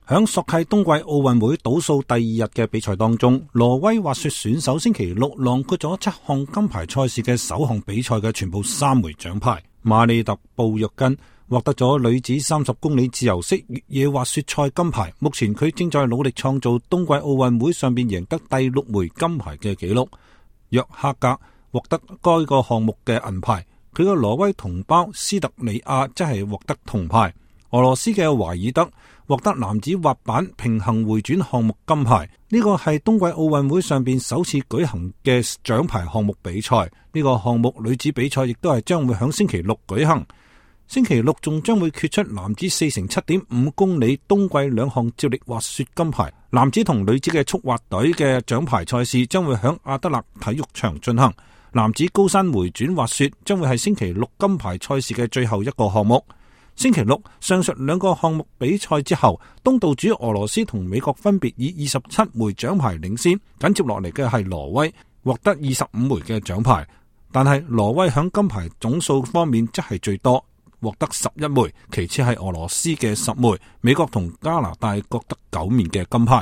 響索契冬季奧運會倒數第二日嘅比賽當中，挪威滑雪選手星期六囊括咗7項金牌賽事嘅首項比賽嘅全部3枚獎牌。馬利特布約根獲得咗女子30公里自由式越野滑雪賽金牌，目前佢正在努力創造冬季奧運會上邊贏得第6枚金牌嘅紀錄。約克格獲得該個項目嘅銀牌，佢嘅挪威同胞斯特里亞則係獲得銅牌。俄羅斯嘅懷爾德獲得男子滑板平行回轉項目金牌，呢個係冬季奧運會上邊首次舉行嘅獎牌項目比賽。呢個項目女子比賽亦都係將會響星期六舉行。星期六仲將會決出男子4乘7.5公里冬季2項接力滑雪金牌。男子同女子嘅速滑隊嘅獎牌賽事將會響阿德勒體育場進行。男子高山回轉滑雪將會係星期六金牌賽事嘅最後一個項目。星期六上述2個項目比賽之後，東道主俄羅斯同美國分別以27枚獎牌領先，緊接落嚟嘅係挪威獲得25枚嘅獎牌，但係挪威響金牌總數方面則係最多，獲得11枚，其次係俄羅斯嘅10枚，美國同加拿大各得9面嘅金牌。